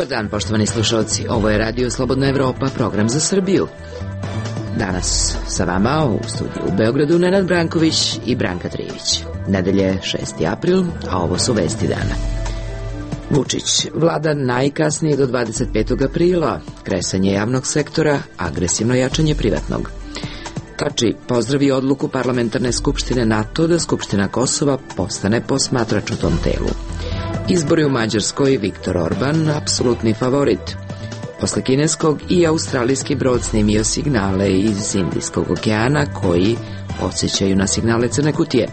Dobar dan, poštovani slušalci. Ovo je Radio Slobodna Evropa, program za Srbiju. Danas sa vama u studiju u Beogradu Nenad Branković i Branka Trijević. Nedelje 6. april, a ovo su vesti dana. Vučić, vlada najkasnije do 25. aprila, kresanje javnog sektora, agresivno jačanje privatnog. Tači pozdravi odluku Parlamentarne skupštine NATO da Skupština Kosova postane posmatrač u tom telu. Izbori u Mađarskoj, Viktor Orban, apsolutni favorit. Posle kineskog i australijski brod snimio signale iz Indijskog okeana koji podsjećaju na signale crne kutije.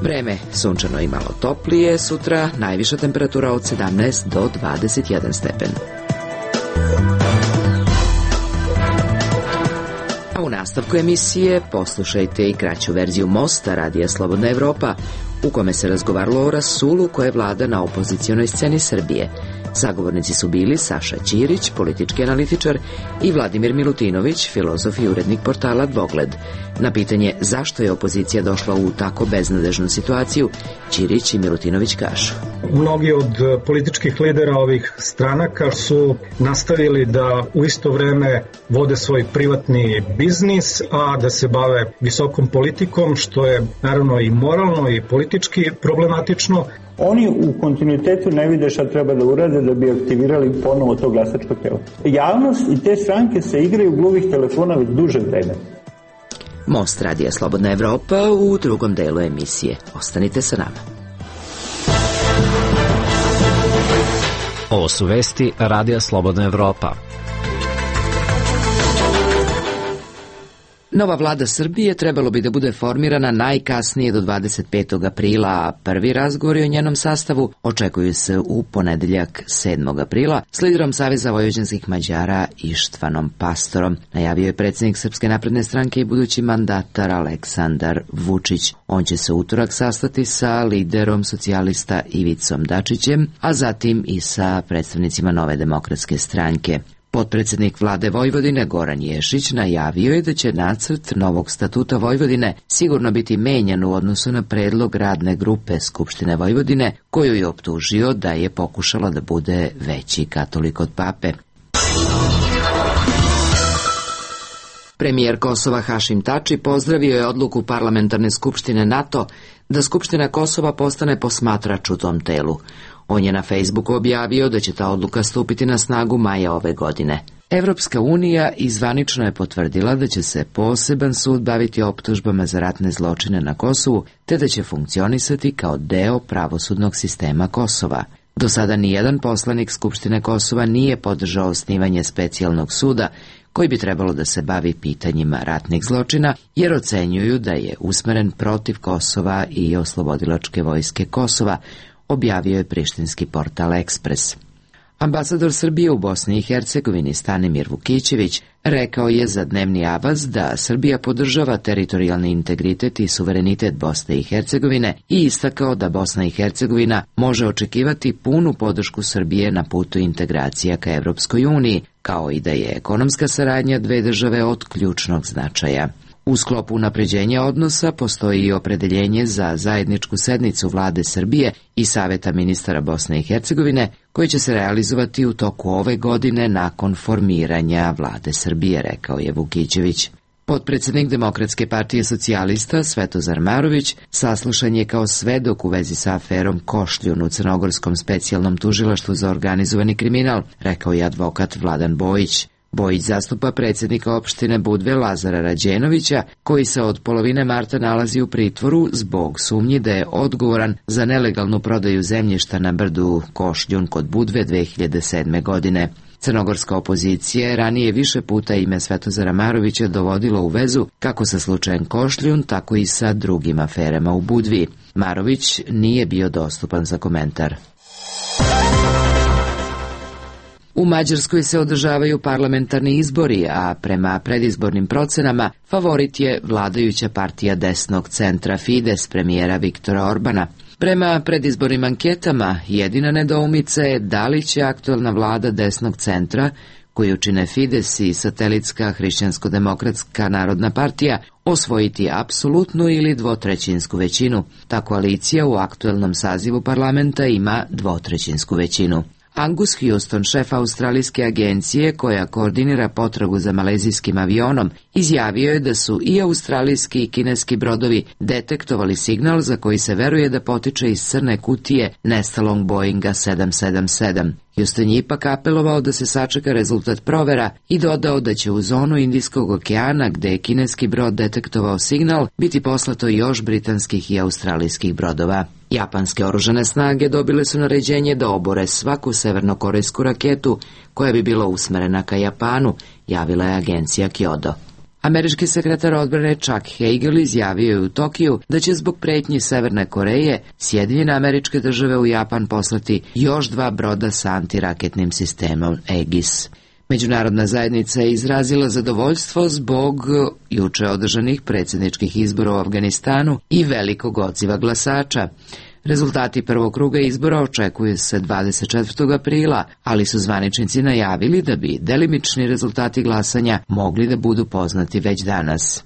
Vreme sunčano i malo toplije, sutra najviša temperatura od 17 do 21 stepen. A u nastavku emisije poslušajte i kraću verziju Mosta Radija Slobodna Evropa, u kome se razgovaralo o rasulu koje vlada na opozicionoj sceni Srbije. Sagovornici su bili Saša Ćirić, politički analitičar, i Vladimir Milutinović, filozof i urednik portala Dvogled. Na pitanje zašto je opozicija došla u tako beznadežnu situaciju, Ćirić i Milutinović kažu. Mnogi od političkih lidera ovih stranaka su nastavili da u isto vreme vode svoj privatni biznis, a da se bave visokom politikom, što je naravno i moralno i politički problematično. Oni u kontinuitetu ne vide šta treba da urade da bi aktivirali ponovo to glasačko telo. Javnost i te stranke se igraju gluvih telefona već duže vreme. Most Radija Slobodna Evropa u drugom delu emisije. Ostanite sa nama. Ovo su vesti Radija Slobodna Evropa. Nova vlada Srbije trebalo bi da bude formirana najkasnije do 25. aprila, a prvi razgovori o njenom sastavu očekuju se u ponedeljak 7. aprila s liderom Saveza vojvođanskih Mađara Ištvanom Pastorom, najavio je predsjednik Srpske napredne stranke i budući mandatar Aleksandar Vučić. On će se utorak sastati sa liderom socijalista Ivicom Dačićem, a zatim i sa predstavnicima Nove demokratske stranke. Potpredsednik vlade Vojvodine Goran Ješić najavio je da će nacrt novog statuta Vojvodine sigurno biti menjan u odnosu na predlog radne grupe Skupštine Vojvodine, koju je optužio da je pokušala da bude veći katolik od pape. Premijer Kosova Hašim Tači pozdravio je odluku Parlamentarne skupštine NATO da Skupština Kosova postane posmatrač u tom telu. On je na Facebooku objavio da će ta odluka stupiti na snagu maja ove godine. Evropska unija izvanično je potvrdila da će se poseban sud baviti optužbama za ratne zločine na Kosovu, te da će funkcionisati kao deo pravosudnog sistema Kosova. Do sada nijedan poslanik Skupštine Kosova nije podržao osnivanje specijalnog suda koji bi trebalo da se bavi pitanjima ratnih zločina, jer ocenjuju da je usmeren protiv Kosova i oslobodilačke vojske Kosova, objavio je prištinski portal Ekspres. Ambasador Srbije u Bosni i Hercegovini Stanimir Vukićević rekao je za Dnevni Avaz da Srbija podržava teritorijalni integritet i suverenitet Bosne i Hercegovine i istakao da Bosna i Hercegovina može očekivati punu podršku Srbije na putu integracija ka Evropskoj uniji, kao i da je ekonomska saradnja dve države od ključnog značaja. U sklopu unapređenja odnosa postoji i opredeljenje za zajedničku sednicu vlade Srbije i Saveta ministara Bosne i Hercegovine, koji će se realizovati u toku ove godine nakon formiranja vlade Srbije, rekao je Vukićević. Potpredsednik Demokratske partije socijalista Svetozar Marović saslušan je kao svedok u vezi sa aferom Košljun u Crnogorskom specijalnom tužilaštvu za organizovani kriminal, rekao je advokat Vladan Bojić. Bojić zastupa predsjednika opštine Budve Lazara Rađenovića, koji se od polovine marta nalazi u pritvoru zbog sumnji da je odgovoran za nelegalnu prodaju zemljišta na brdu Košljun kod Budve 2007. godine. Crnogorska opozicija je ranije više puta ime Svetozara Marovića dovodilo u vezu kako sa slučajem Košljun, tako i sa drugim aferama u Budvi. Marović nije bio dostupan za komentar. U Mađarskoj se održavaju parlamentarni izbori, a prema predizbornim procenama favorit je vladajuća partija desnog centra Fides premijera Viktora Orbana. Prema predizbornim anketama, jedina nedoumica je da li će aktuelna vlada desnog centra, koju čine Fides i satelitska Hrišćansko-demokratska narodna partija, osvojiti apsolutnu ili dvotrećinsku većinu. Ta koalicija u aktuelnom sazivu parlamenta ima dvotrećinsku većinu. Angus Houston, šef australijske agencije koja koordinira potragu za malezijskim avionom, izjavio je da su i australijski i kineski brodovi detektovali signal za koji se veruje da potiče iz crne kutije nestalog Boeinga 777. Houston je ipak apelovao da se sačeka rezultat provera i dodao da će u zonu Indijskog okeana, gde je kineski brod detektovao signal, biti poslato još britanskih i australijskih brodova. Japanske oružane snage dobile su naređenje da obore svaku severnokorejsku raketu koja bi bila usmerena ka Japanu, javila je agencija Kyodo. Američki sekretar odbrane Chuck Hagel izjavio je u Tokiju da će zbog pretnji Severne Koreje Sjedinjene Američke Države u Japan poslati još 2 broda sa antiraketnim sistemom Aegis. Međunarodna zajednica je izrazila zadovoljstvo zbog juče održanih predsjedničkih izbora u Afganistanu i velikog odziva glasača. Rezultati prvog kruga izbora očekuju se 24. aprila, ali su zvaničnici najavili da bi delimični rezultati glasanja mogli da budu poznati već danas.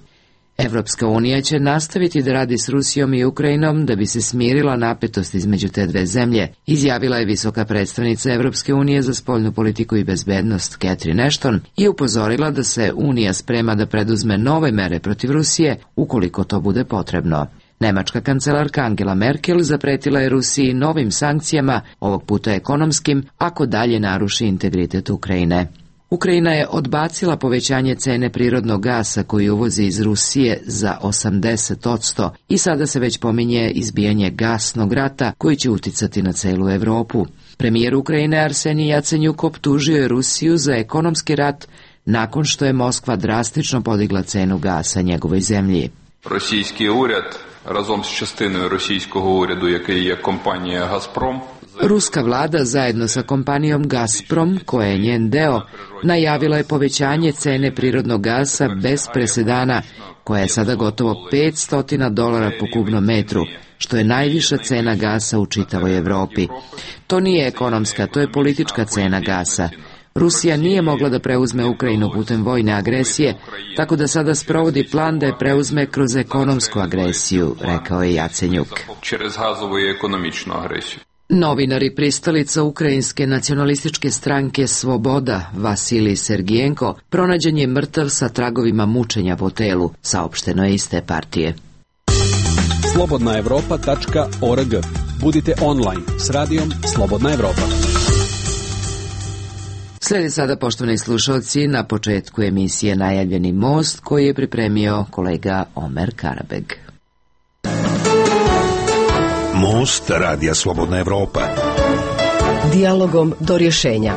Evropska unija će nastaviti da radi s Rusijom i Ukrajinom da bi se smirila napetost između te dve zemlje, izjavila je visoka predstavnica Evropske unije za spoljnu politiku i bezbednost Catherine Ashton i upozorila da se Unija sprema da preduzme nove mere protiv Rusije ukoliko to bude potrebno. Nemačka kancelarka Angela Merkel zapretila je Rusiji novim sankcijama, ovog puta ekonomskim, ako dalje naruši integritet Ukrajine. Ukrajina je odbacila povećanje cene prirodnog gasa koji uvozi iz Rusije za 80% i sada se već pominje izbijanje gasnog rata koji će uticati na celu Evropu. Premijer Ukrajine Arsenij Jacenjuk optužio je Rusiju za ekonomski rat nakon što je Moskva drastično podigla cenu gasa njegovoj zemlji. Російський уряд разом з частиною російського уряду, який є компанія «Газпром». Ruska vlada zajedno sa kompanijom Gazprom, koja je njen deo, najavila je povećanje cene prirodnog gasa bez presedana, koja je sada gotovo $500 po kubnom metru, što je najviša cena gasa u čitavoj Evropi. To nije ekonomska, to je politička cena gasa. Rusija nije mogla da preuzme Ukrajinu putem vojne agresije, tako da sada sprovodi plan da je preuzme kroz ekonomsku agresiju, rekao je Jacenjuk. Novinar i pristalica ukrajinske nacionalističke stranke Svoboda Vasilij Sergijenko pronađen je mrtav sa tragovima mučenja po telu, saopšteno je iz te partije. slobodnaevropa.org. Budite online s radijom Slobodna Evropa. Slijedi sada, poštovani slušalci, na početku emisije najavljeni most koji je pripremio kolega Omer Karabeg. Most radija Slobodna Evropa. Dijalogom do rješenja.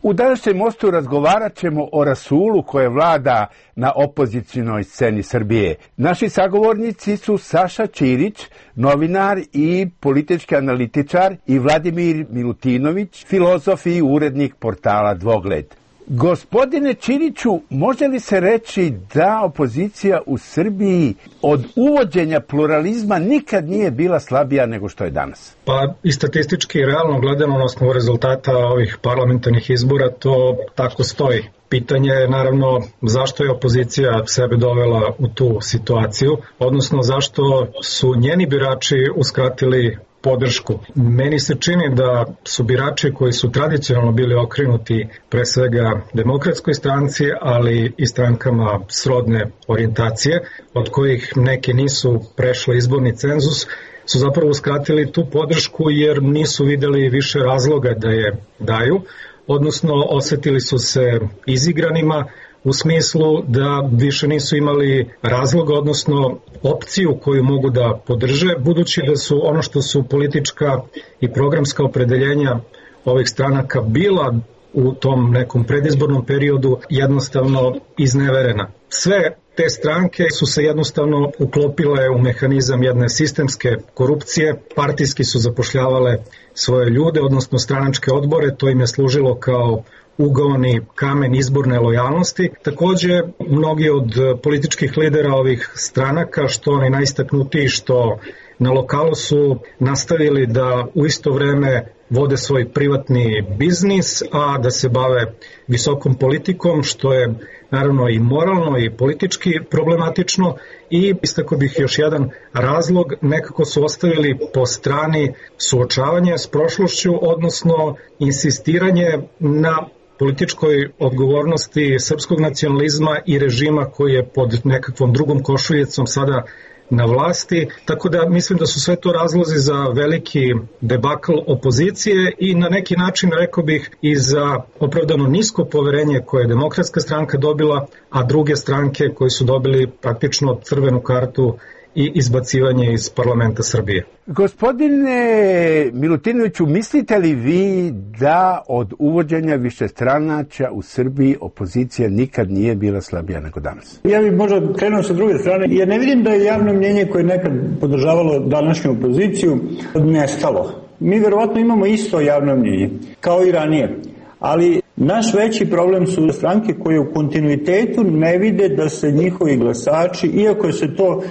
U današnjem mostu razgovarat ćemo o rasulu koje vlada na opozicionoj sceni Srbije. Naši sagovornici su Saša Ćirić, novinar i politički analitičar, i Vladimir Milutinović, filozof i urednik portala Dvogled. Gospodine Ćiriću, može li se reći da opozicija u Srbiji od uvođenja pluralizma nikad nije bila slabija nego što je danas? Pa i statistički i realno gledano na osnovu rezultata ovih parlamentarnih izbora to tako stoji. Pitanje je naravno zašto je opozicija sebe dovela u tu situaciju, odnosno zašto su njeni birači uskratili podršku. Meni se čini da su birači koji su tradicionalno bili okrenuti pre svega Demokratskoj stranci, ali i strankama srodne orijentacije, od kojih neke nisu prešle izborni cenzus, su zapravo uskratili tu podršku jer nisu videli više razloga da je daju, odnosno osetili su se izigranima u smislu da više nisu imali razloga, odnosno opciju koju mogu da podrže, budući da su ono što su politička i programska opredeljenja ovih stranaka bila u tom nekom predizbornom periodu jednostavno izneverena. Sve te stranke su se jednostavno uklopile u mehanizam jedne sistemske korupcije, partijski su zapošljavale svoje ljude, odnosno stranačke odbore, to im je služilo kao ugaoni kamen izborne lojalnosti. Takođe, mnogi od političkih lidera ovih stranaka, što oni najistaknutiji, što na lokalu su nastavili da u isto vreme vode svoj privatni biznis, a da se bave visokom politikom, što je naravno i moralno i politički problematično. I istakao bih još jedan razlog, nekako su ostavili po strani suočavanje s prošlošću, odnosno insistiranje na političkoj odgovornosti srpskog nacionalizma i režima koji je pod nekakvom drugom košuljicom sada na vlasti, tako da mislim da su sve to razlozi za veliki debakl opozicije i na neki način, rekao bih, i za opravdano nisko poverenje koje je Demokratska stranka dobila, a druge stranke koji su dobili praktično crvenu kartu i izbacivanje iz parlamenta Srbije. Gospodine Milutinoviću, mislite li vi da od uvođenja višestranačja u Srbiji opozicija nikad nije bila slabija nego danas? Ja bih možda krenuo sa druge strane. Ja ne vidim da je javno mnjenje koje je nekad podržavalo današnju opoziciju nestalo. Mi verovatno imamo isto javno mnjenje, kao i ranije. Ali naš veći problem su stranke koje u kontinuitetu ne vide da se njihovi glasači, iako se to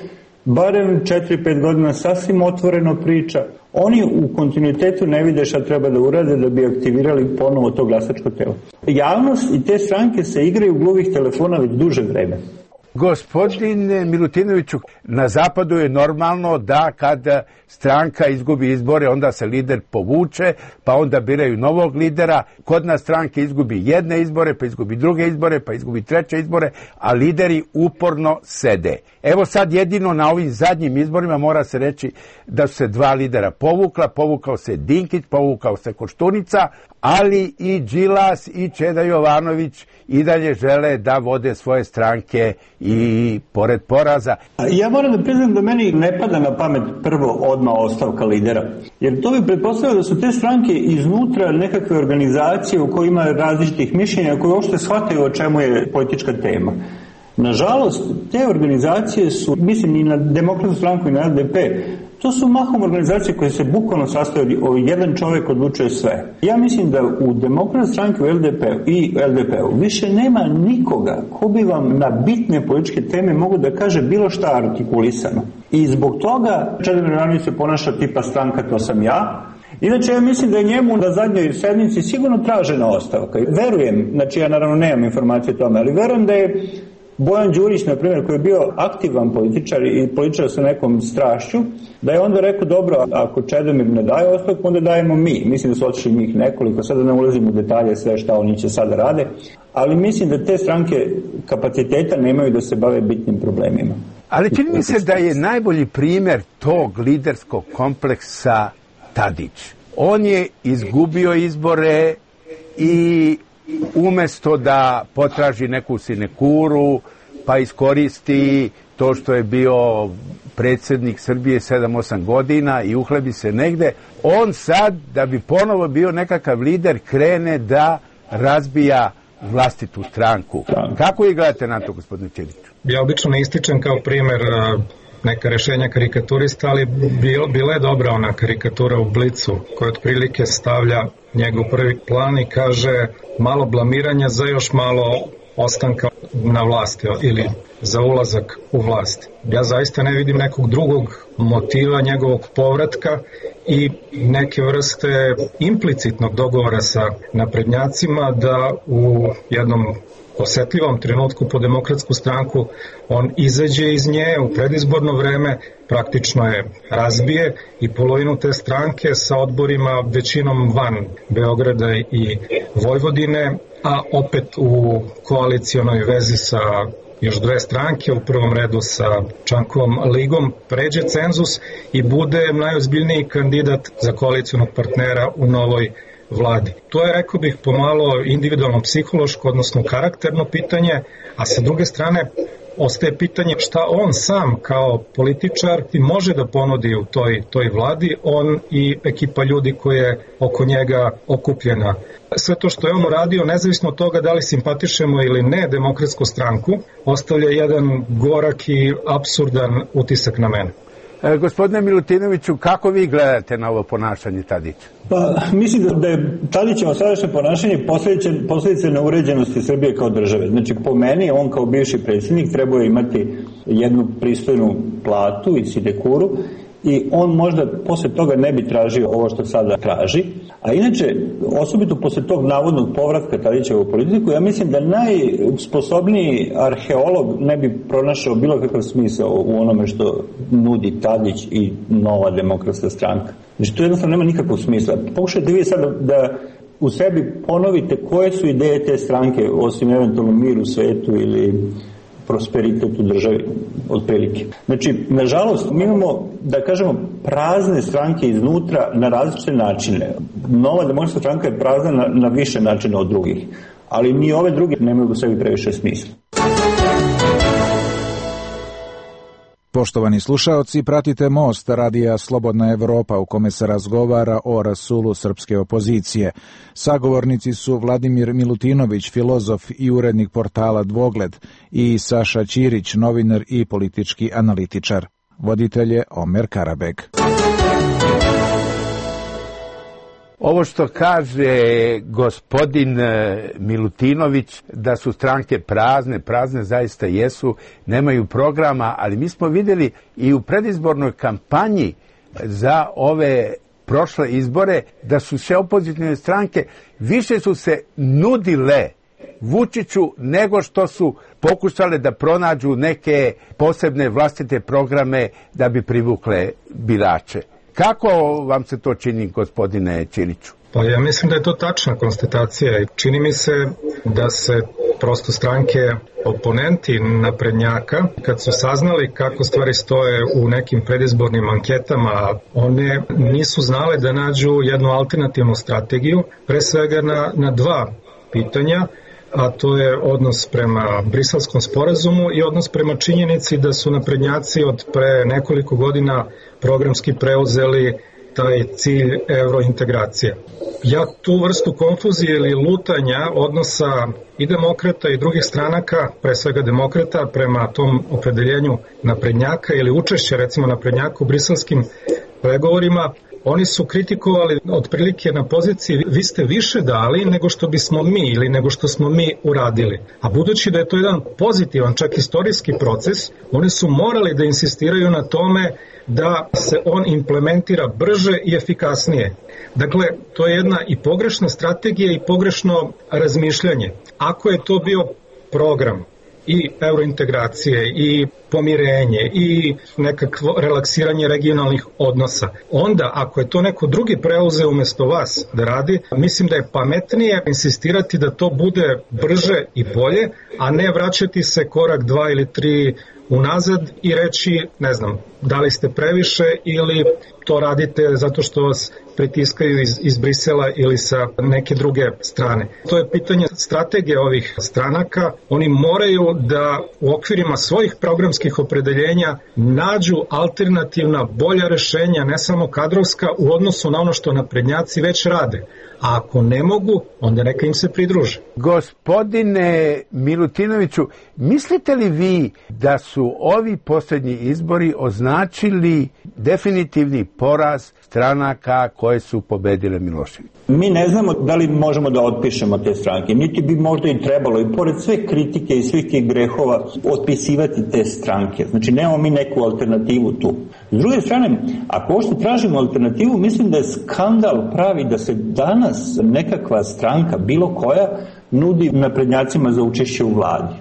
barem 4-5 godina sasvim otvoreno priča, oni u kontinuitetu ne vide šta treba da urade da bi aktivirali ponovo to glasačko telo. Javnost i te stranke se igraju gluvih telefona već duže vreme. Gospodine Milutinoviću, na zapadu je normalno da kad stranka izgubi izbore, onda se lider povuče, pa onda biraju novog lidera. Kod nas stranke izgubi jedne izbore, pa izgubi druge izbore, pa izgubi treće izbore, a lideri uporno sede. Evo sad jedino na ovim zadnjim izborima mora se reći da su se dva lidera povukao se Dinkić, povukao se Koštunica, ali i Đilas i Čeda Jovanović i dalje žele da vode svoje stranke i pored poraza. Ja moram da priznam da meni ne pada na pamet prvo odmah ostavka lidera, jer to bi pretpostavljalo da su te stranke iznutra nekakve organizacije u kojima ima različitih mišljenja, koje uopšte shvataju o čemu je politička tema. Nažalost, te organizacije su, mislim i na Demokratsku stranku i na LDP, to su mahom organizacije koje se bukvalno sastoje od jedan čovjek odlučuje sve. Ja mislim da u Demokratskoj stranki i LDP-u više nema nikoga ko bi vam na bitne političke teme mogu da kaže bilo šta artikulisano. I zbog toga Čedomir Jovanović se ponaša tipa stranka to sam ja. Inače, ja mislim da je njemu na zadnjoj sednici sigurno tražena ostavka. Verujem, znači ja naravno nemam informacije o tome, ali verujem da je Bojan Đurić, na primjer, koji je bio aktivan političar i političar sa nekom strašću, da je onda rekao, dobro, ako Čedomir ne daje ostavku, onda dajemo mi. Mislim da su otišli njih nekoliko, sada ne ulazim u detalje sve šta oni će sada rade, ali mislim da te stranke kapaciteta nemaju da se bave bitnim problemima. Ali čini mi se da je najbolji primjer tog liderskog kompleksa Tadić. On je izgubio izbore i umesto da potraži neku sinekuru, pa iskoristi to što je bio predsjednik Srbije 7-8 godina i uhlebi se negde, on sad, da bi ponovo bio nekakav lider, krene da razbija vlastitu stranku. Kako vi gledate na to, gospodine Ćiriću? Ja obično ne ističem kao primjer neka rešenja karikaturista, ali bila je dobra ona karikatura u Blicu, koja otprilike stavlja njegov prvi plan i kaže malo blamiranja za još malo ostanka na vlasti ili za ulazak u vlast. Ja zaista ne vidim nekog drugog motiva njegovog povratka i neke vrste implicitnog dogovora sa naprednjacima da u jednom osetljivom trenutku po Demokratsku stranku on izađe iz nje u predizborno vreme, praktično je razbije i polovinu te stranke sa odborima većinom van Beograda i Vojvodine, a opet u koalicionoj vezi sa još dve stranke, u prvom redu sa Čankovom ligom, pređe cenzus i bude najozbiljniji kandidat za koalicionog partnera u novoj vladi. To je, rekao bih, pomalo individualno psihološko, odnosno karakterno pitanje, a sa druge strane ostaje pitanje šta on sam kao političar može da ponudi u toj vladi, on i ekipa ljudi koja je oko njega okupljena. Sve to što je on uradio, nezavisno od toga da li simpatišemo ili ne Demokratsku stranku, ostavlja jedan gorak i apsurdan utisak na mene. Gospodine Milutinoviću, kako vi gledate na ovo ponašanje Tadića? Pa, mislim da je Tadićevo sadašnje ponašanje posljedice neuređenosti Srbije kao države. Znači, po meni, on kao bivši predsjednik trebao imati jednu pristojnu platu i sinekuru i on možda posle toga ne bi tražio ovo što sada traži. A inače, osobito posle tog navodnog povratka Tadića u politiku, ja mislim da najsposobniji arheolog ne bi pronašao bilo kakav smisao u onome što nudi Tadić i Nova demokratska stranka. Znači, to jednostavno nema nikakvog smisla. Pokušajte vi sad da u sebi ponovite koje su ideje te stranke, osim eventualno mir u svetu ili prosperitet u državi, otprilike. Znači, nažalost, mi imamo, da kažemo, prazne stranke iznutra na različite načine. Nova demokratska stranka je prazna na više načina od drugih, ali ni ove druge nemaju u sebi previše smisla. Poštovani slušaoci, pratite Most, radija Slobodna Evropa, u kome se razgovara o rasulu srpske opozicije. Sagovornici su Vladimir Milutinović, filozof i urednik portala Dvogled, i Saša Ćirić, novinar i politički analitičar. Voditelj je Omer Karabeg. Ovo što kaže gospodin Milutinović, da su stranke prazne zaista jesu, nemaju programa, ali mi smo vidjeli i u predizbornoj kampanji za ove prošle izbore da su sve opozicijne stranke više su se nudile Vučiću nego što su pokušale da pronađu neke posebne vlastite programe da bi privukle birače. Kako vam se to čini, gospodine Ćiriću? Pa ja mislim da je to tačna konstatacija i čini mi se da se prosto stranke oponenti naprednjaka, kad su saznali kako stvari stoje u nekim predizbornim anketama, one nisu znale da nađu jednu alternativnu strategiju, pre svega na dva pitanja, a to je odnos prema Briselskom sporazumu i odnos prema činjenici da su naprednjaci od pre nekoliko godina programski preuzeli taj cilj eurointegracije. Ja tu vrstu konfuzije ili lutanja odnosa i demokrata i drugih stranaka, pre svega demokrata, prema tom opredeljenju naprednjaka ili učešća recimo naprednjaka u briselskim pregovorima, oni su kritikovali otprilike na poziciji vi ste više dali nego što bismo mi ili nego što smo mi uradili. A budući da je to jedan pozitivan, čak istorijski proces, oni su morali da insistiraju na tome da se on implementira brže i efikasnije. Dakle, to je jedna i pogrešna strategija i pogrešno razmišljanje. Ako je to bio program i eurointegracije i pomirenje i nekakvo relaksiranje regionalnih odnosa, onda ako je to neko drugi preuzeo umesto vas da radi, mislim da je pametnije insistirati da to bude brže i bolje, a ne vraćati se korak 2 ili 3 unazad i reći, ne znam, da li ste previše ili to radite zato što vas pritiskaju iz Brisela ili sa neke druge strane. To je pitanje strategije ovih stranaka. Oni moraju da u okvirima svojih programskih opredeljenja nađu alternativna, bolja rešenja, ne samo kadrovska, u odnosu na ono što naprednjaci već rade. A ako ne mogu, onda neka im se pridruže. Gospodine Milutinoviću, mislite li vi da su ovi posljednji izbori označili definitivni poraz stranaka koje su pobedile Miloševića? Mi ne znamo da li možemo da otpišemo te stranke, niti bi možda i trebalo, i pored sve kritike i svih tih grehova, otpisivati te stranke. Znači, nemamo mi neku alternativu tu. S druge strane, ako ošte tražimo alternativu, mislim da je skandal pravi da se danas nekakva stranka, bilo koja, nudi naprednjacima za učešće u vladi.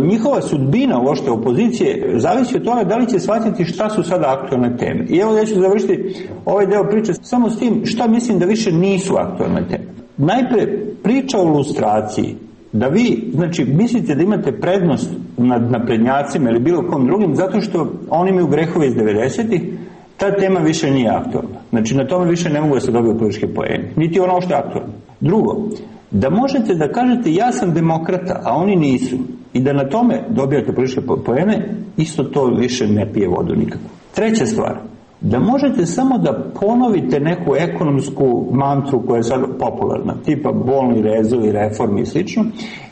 Njihova sudbina uopšte opozicije zavisi od toga da li će shvatiti šta su sada aktualne teme. I evo ja ću završiti ovaj deo priče samo s tim šta mislim da više nisu aktualne teme. Najpre, priča o lustraciji. Da vi, znači, mislite da imate prednost nad naprednjacima ili bilo kom drugim zato što oni imaju grehove iz 90-ih, ta tema više nije aktualna. Znači, na tome više ne mogu da se dobiju političke poeni. Niti ono što je aktualno. Drugo, da možete da kažete ja sam demokrata, a oni nisu, i da na tome dobijate političke poene, isto to više ne pije vodu nikako. Treća stvar, da možete samo da ponovite neku ekonomsku mantru koja je sad popularna, tipa bolni rezovi, reformi i slično,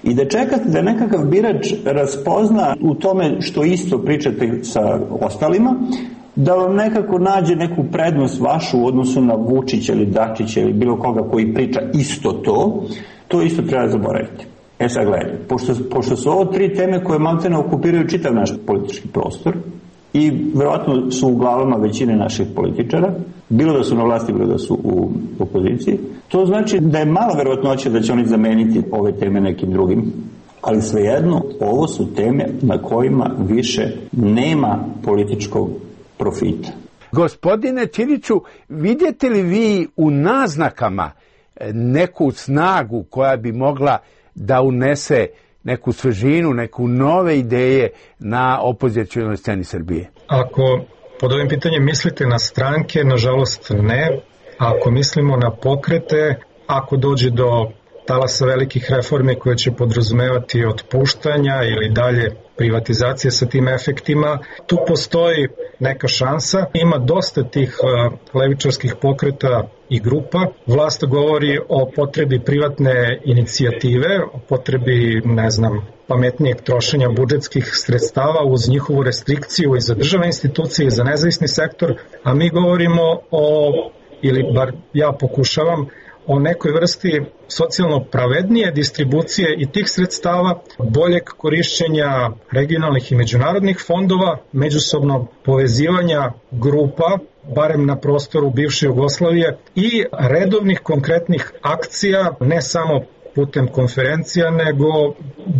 i da čekate da nekakav birač raspozna u tome što isto pričate sa ostalima, da vam nekako nađe neku prednost vašu u odnosu na Vučića ili Dačića ili bilo koga koji priča isto to isto treba zaboraviti. Sad gledajte, pošto su ovo tri teme koje maltene okupiraju čitav naš politički prostor, i verovatno su u glavama većine naših političara, bilo da su na vlasti, bilo da su u opoziciji. To znači da je malo verovatnoće da će oni zameniti ove teme nekim drugim, ali svejedno ovo su teme na kojima više nema političkog profita. Gospodine Ćiriću, vidite li vi u naznakama neku snagu koja bi mogla da unese neku svežinu, neku nove ideje na opozicionoj sceni Srbije? Ako pod ovim pitanjem mislite na stranke, nažalost ne. Ako mislimo na pokrete, ako dođe do talasa velikih reformi koje će podrazumevati otpuštanja ili dalje privatizacije sa tim efektima, tu postoji neka šansa. Ima dosta tih levičarskih pokreta i grupa. Vlast govori o potrebi privatne inicijative, o potrebi, pametnijeg trošenja budžetskih sredstava uz njihovu restrikciju i za državne institucije i za nezavisni sektor, a mi govorimo ili bar ja pokušavam, o nekoj vrsti socijalno pravednije distribucije i tih sredstava, boljeg korišćenja regionalnih i međunarodnih fondova, međusobnog povezivanja grupa, barem na prostoru bivše Jugoslavije, i redovnih konkretnih akcija, ne samo putem konferencija, nego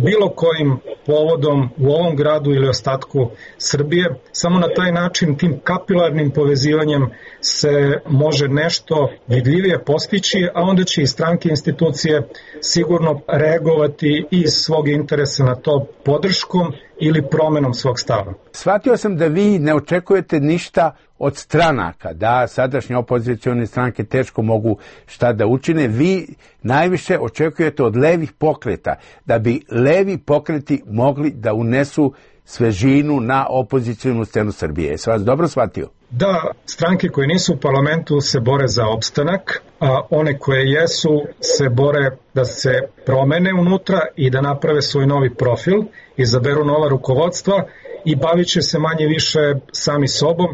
bilo kojim povodom u ovom gradu ili ostatku Srbije. Samo na taj način, tim kapilarnim povezivanjem se može nešto vidljivije postići, a onda će i stranke i institucije sigurno reagovati iz svog interesa na to podrškom ili promenom svog stava. Shvatio sam da vi ne očekujete ništa od stranaka, da sadašnje opozicione stranke teško mogu šta da učine. Vi najviše očekujete od levih pokreta, da bi levi pokreti mogli da unesu svežinu na opozicionu scenu Srbije. Sam vas dobro shvatio? Da, stranke koje nisu u parlamentu se bore za opstanak, a one koje jesu se bore da se promene unutra i da naprave svoj novi profil, izaberu nova rukovodstva i bavit će se manje više sami sobom.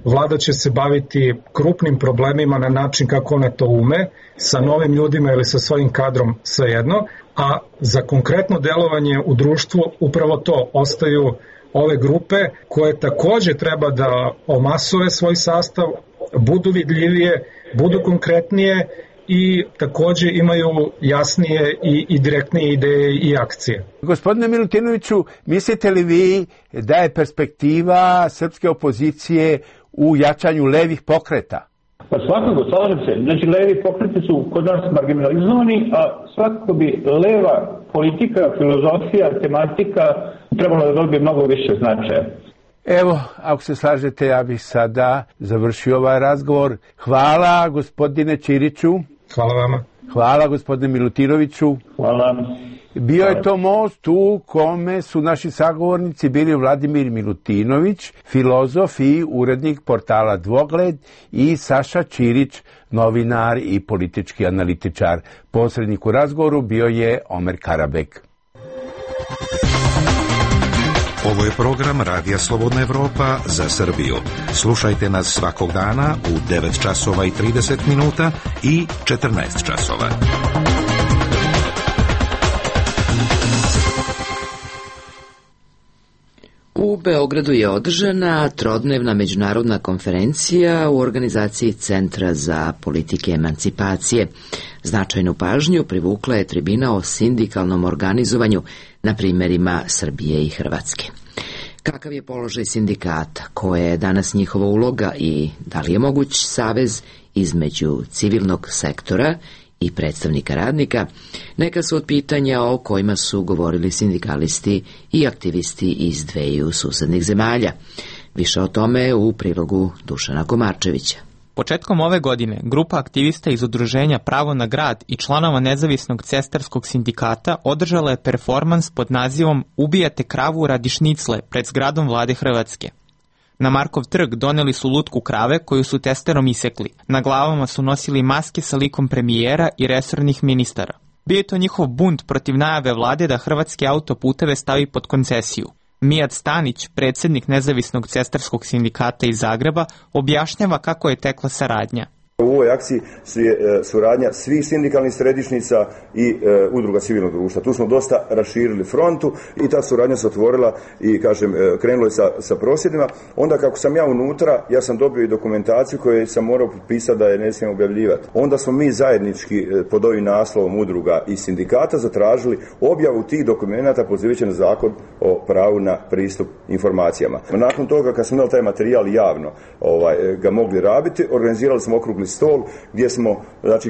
Vlada će se baviti krupnim problemima na način kako ona to ume, sa novim ljudima ili sa svojim kadrom, svejedno, a za konkretno delovanje u društvu upravo to ostaju ove grupe koje takođe treba da omasove svoj sastav, budu vidljivije, budu konkretnije i takođe imaju jasnije i direktnije ideje i akcije. Gospodine Milutinoviću, mislite li vi da je perspektiva srpske opozicije u jačanju levih pokreta? Pa svakako, slažem se. Znači, levi pokreti su kod nas marginalizovani, a svakako bi leva politika, filozofija, tematika trebalo da dobije mnogo više značaja. Evo, ako se slažete, ja bih sada završio ovaj razgovor. Hvala gospodine Ćiriću. Hvala vama. Hvala gospodine Milutinoviću. Hvala. Bio je to most u kome su naši sagovornici bili Vladimir Milutinović, filozof i urednik portala Dvogled, i Saša Ćirić, novinar i politički analitičar. Posrednik u razgovoru bio je Omer Karabek. Ovo je program Radija Slobodna Evropa za Srbiju. Slušajte nas svakog dana u 9 časova i 30 minuta i 14 časova. U Beogradu je održana trodnevna međunarodna konferencija u organizaciji Centra za politike emancipacije. Značajnu pažnju privukla je tribina o sindikalnom organizovanju na primjerima Srbije i Hrvatske. Kakav je položaj sindikata, koja je danas njihova uloga i da li je moguć savez između civilnog sektora i predstavnika radnika, neka su od pitanja o kojima su govorili sindikalisti i aktivisti iz dveju susednih zemalja. Više o tome u prilogu Dušana Komarčevića. Početkom ove godine grupa aktivista iz udruženja Pravo na grad i članova nezavisnog cestarskog sindikata održala je performans pod nazivom Ubijate kravu radi šnicle pred zgradom vlade Hrvatske. Na Markov trg doneli su lutku krave koju su testerom isekli. Na glavama su nosili maske sa likom premijera i resornih ministara. Bio je to njihov bunt protiv najave vlade da hrvatske autoputeve stavi pod koncesiju. Mijat Stanić, predsjednik nezavisnog cestarskog sindikata iz Zagreba, objašnjava kako je tekla saradnja. U ovoj akciji je suradnja svih sindikalnih središnjica i udruga civilnog društva. Tu smo dosta raširili frontu i ta suradnja se otvorila i krenulo je sa prosvjedima. Onda kako sam ja unutra, ja sam dobio i dokumentaciju koju sam morao potpisati da je ne smijem objavljivati. Onda smo mi zajednički pod ovim naslovom udruga i sindikata zatražili objavu tih dokumenata pozivajući na zakon o pravu na pristup informacijama. Nakon toga kad smo imali taj materijal javno ga mogli rabiti, organizirali smo okrugli stol gdje smo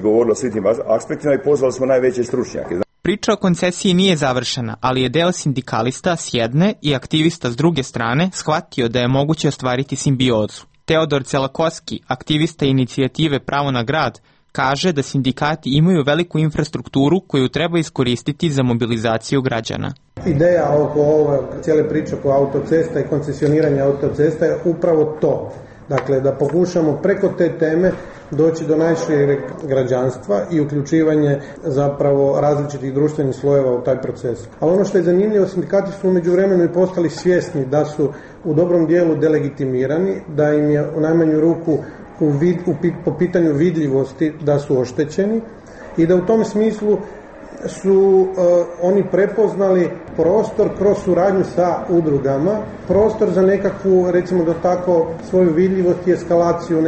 govorili o svim tim aspektima i pozvali smo najveće stručnjake. Priča o koncesiji nije završena, ali je deo sindikalista s jedne i aktivista s druge strane shvatio da je moguće ostvariti simbiozu. Teodor Celakoski, aktivista inicijative Pravo na grad, kaže da sindikati imaju veliku infrastrukturu koju treba iskoristiti za mobilizaciju građana. Ideja oko ove cijele priče oko autocesta i koncesioniranja autocesta je upravo to. Dakle, da pokušamo preko te teme doći do najšireg građanstva i uključivanje zapravo različitih društvenih slojeva u taj proces. Ali ono što je zanimljivo, sindikati su u međuvremenu i postali svjesni da su u dobrom dijelu delegitimirani, da im je u najmanju ruku po pitanju vidljivosti da su oštećeni i da u tom smislu su oni prepoznali prostor kroz suradnju sa udrugama, prostor za nekakvu, recimo da tako, svoju vidljivost i eskalaciju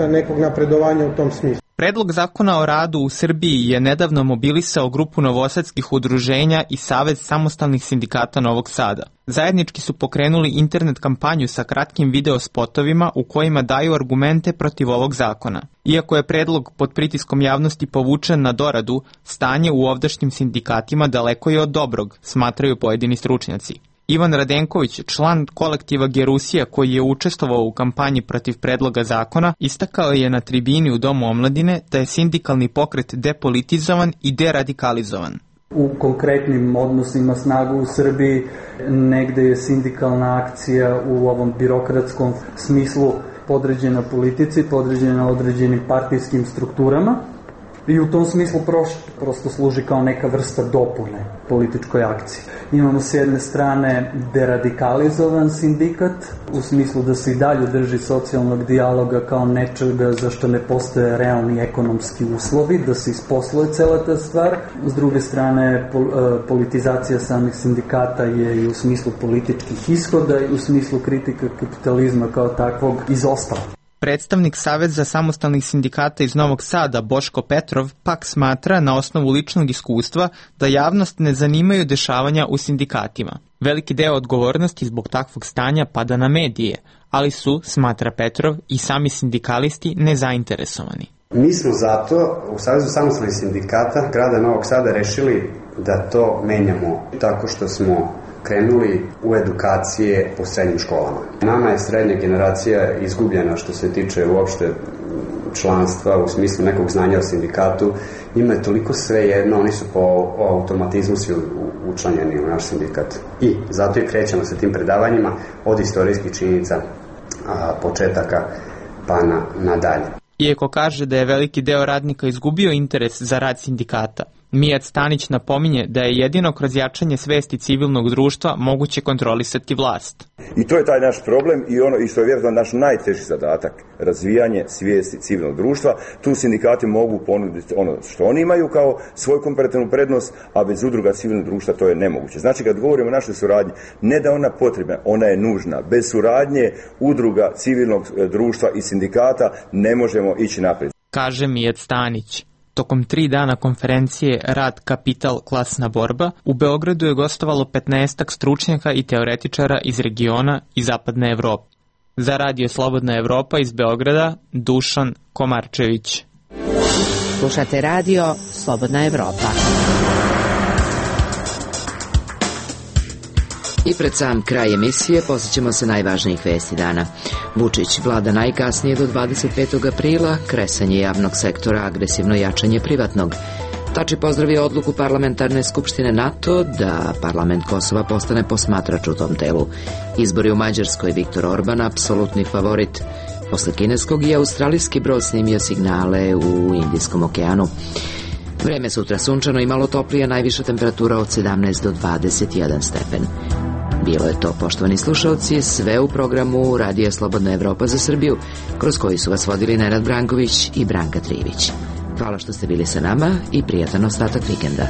nekog napredovanja u tom smislu. Predlog zakona o radu u Srbiji je nedavno mobilisao grupu novosadskih udruženja i Savez samostalnih sindikata Novog Sada. Zajednički su pokrenuli internet kampanju sa kratkim video spotovima u kojima daju argumente protiv ovog zakona. Iako je predlog pod pritiskom javnosti povučen na doradu, stanje u ovdašnjim sindikatima daleko je od dobrog, smatraju pojedini stručnjaci. Ivan Radenković, član kolektiva Gerusija koji je učestvovao u kampanji protiv predloga zakona, istakao je na tribini u Domu omladine da je sindikalni pokret depolitizovan i deradikalizovan. U konkretnim odnosima snagu u Srbiji negde je sindikalna akcija u ovom birokratskom smislu podređena politici, podređena određenim partijskim strukturama. I u tom smislu prosto služi kao neka vrsta dopune političkoj akciji. Imamo s jedne strane deradikalizovan sindikat, u smislu da se i dalje drži socijalnog dijaloga kao nečega za što ne postoje realni ekonomski uslovi, da se isposluje cela ta stvar. S druge strane, politizacija samih sindikata je i u smislu političkih ishoda i u smislu kritika kapitalizma kao takvog izostala. Predstavnik Saveza samostalnih sindikata iz Novog Sada, Boško Petrov, pak smatra na osnovu ličnog iskustva da javnost ne zanimaju dešavanja u sindikatima. Veliki deo odgovornosti zbog takvog stanja pada na medije, ali su, smatra Petrov, i sami sindikalisti nezainteresovani. Mi smo zato u Savezu samostalnih sindikata grada Novog Sada rešili da to menjamo tako što smo krenuli u edukacije po srednjim školama. Nama je srednja generacija izgubljena što se tiče uopšte članstva u smislu nekog znanja o sindikatu. Njima je toliko svejedno, oni su po automatizmu svi učlanjeni u naš sindikat. I zato i krećemo sa tim predavanjima od istorijskih činjenica, početaka pa nadalje. Iako kaže da je veliki deo radnika izgubio interes za rad sindikata, Mijat Stanić napominje da je jedino kroz jačanje svesti civilnog društva moguće kontrolisati vlast. I to je taj naš problem i što je vjerojatno naš najteži zadatak, razvijanje svijesti civilnog društva. Tu sindikati mogu ponuditi ono što oni imaju kao svoju komparativnu prednost, a bez udruga civilnog društva to je nemoguće. Znači kad govorimo o našoj suradnji, ne da ona potrebna, ona je nužna. Bez suradnje udruga civilnog društva i sindikata ne možemo ići naprijed. Kaže Mijat Stanić. Tokom 3 dana konferencije Rad, kapital, klasna borba, u Beogradu je gostovalo 15 stručnjaka i teoretičara iz regiona i zapadne Evrope. Za Radio Slobodna Evropa iz Beograda, Dušan Komarčević. Slušate Radio Slobodna Evropa. I pred sam kraj emisije posjećamo se najvažnijih vesti dana. Vučić vlada najkasnije do 25. aprila, kresanje javnog sektora, agresivno jačanje privatnog. Tači pozdravio odluku Parlamentarne skupštine NATO da parlament Kosova postane posmatrač u tom telu. Izbori u Mađarskoj, Viktor Orban, apsolutni favorit. Posle kineskog i australijski brod snimio signale u Indijskom okeanu. Vreme sutra sunčano i malo toplije, najviša temperatura od 17 do 21 stepen. Bilo je to, poštovani slušalci, sve u programu Radija Slobodna Evropa za Srbiju, kroz koji su vas vodili Nenad Branković i Branka Trivić. Hvala što ste bili sa nama i prijatan ostatak vikenda.